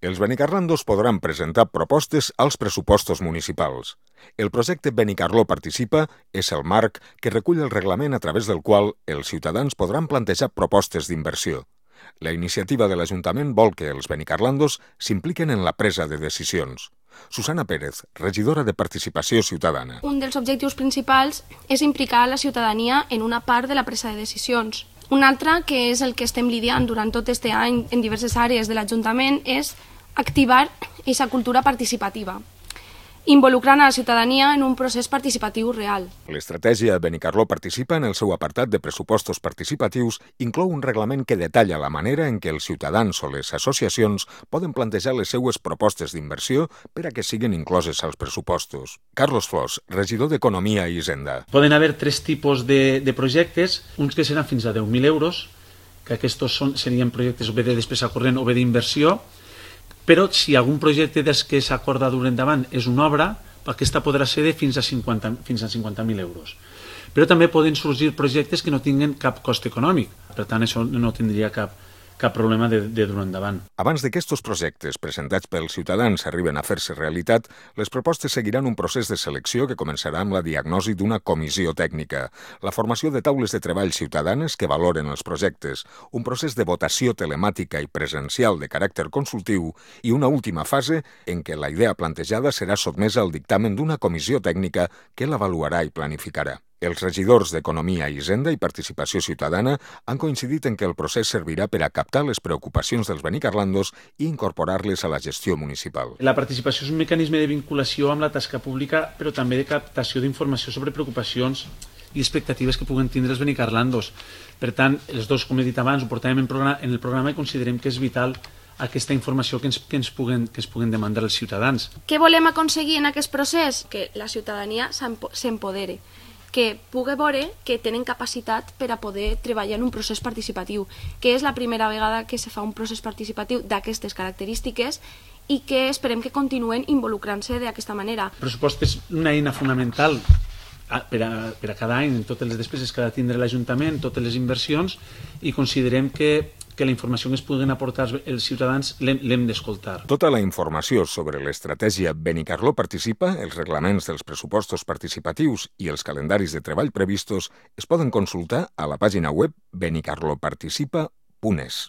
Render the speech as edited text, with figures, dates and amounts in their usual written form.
Els benicarlandos podran presentar propostes als pressupostos municipals. El projecte Benicarló Participa és el marc que recull el reglament a través del qual els ciutadans podran plantejar propostes d'inversió. La iniciativa de l'Ajuntament vol que els benicarlandos s'impliquen en la presa de decisions. Susana Pérez, regidora de Participació Ciutadana. Un dels objectius principals és implicar la ciutadania en una part de la presa de decisions. Un altre, que és el que estem lidiant durant tot aquest any en diverses àrees de l'Ajuntament, és activar aquesta cultura participativa, involucrant a la ciutadania en un procés participatiu real. L'estratègia Benicarló Participa, en el seu apartat de pressupostos participatius, inclou un reglament que detalla la manera en què els ciutadans o les associacions poden plantejar les seues propostes d'inversió per a que siguin incloses als pressupostos. Carlos Flors, regidor d'Economia i Hisenda. Poden haver tres tipus de projectes, uns que seran fins a 10.000 euros, que aquests serien projectes o bé de despesa corrent o bé d'inversió, però si algun projecte dels que s'acorda dur endavant és una obra, aquesta podrà ser de fins a 50.000 euros. Però també poden sorgir projectes que no tinguin cap cost econòmic, per tant això no tindria cap problema de dur endavant. Abans d'aquests projectes presentats pels ciutadans arriben a fer-se realitat, les propostes seguiran un procés de selecció que començarà amb la diagnosi d'una comissió tècnica, la formació de taules de treball ciutadanes que valoren els projectes, un procés de votació telemàtica i presencial de caràcter consultiu i una última fase en què la idea plantejada serà sotmesa al dictamen d'una comissió tècnica que l'avaluarà i planificarà. Els regidors d'Economia, Hisenda i Participació Ciutadana han coincidit en que el procés servirà per a captar les preocupacions dels benicarlandos i incorporar-les a la gestió municipal. La participació és un mecanisme de vinculació amb la tasca pública, però també de captació d'informació sobre preocupacions i expectatives que puguen tindre els benicarlandos. Per tant, els dos, com he dit abans, ho portàvem en el programa i considerem que és vital aquesta informació que ens puguen demandar els ciutadans. Què volem aconseguir en aquest procés? Que la ciutadania s'empodere, que pugui veure que tenen capacitat per a poder treballar en un procés participatiu, que és la primera vegada que se fa un procés participatiu d'aquestes característiques i que esperem que continuen involucrant-se d'aquesta manera. El pressupost és una eina fonamental per a cada any, en totes les despeses que ha de tindre l'Ajuntament, totes les inversions, i considerem que la informació que es puguen aportar els ciutadans l'hem d'escoltar. Tota la informació sobre l'estratègia Benicarló Participa, els reglaments dels pressupostos participatius i els calendaris de treball previstos es poden consultar a la pàgina web benicarloparticipa.es.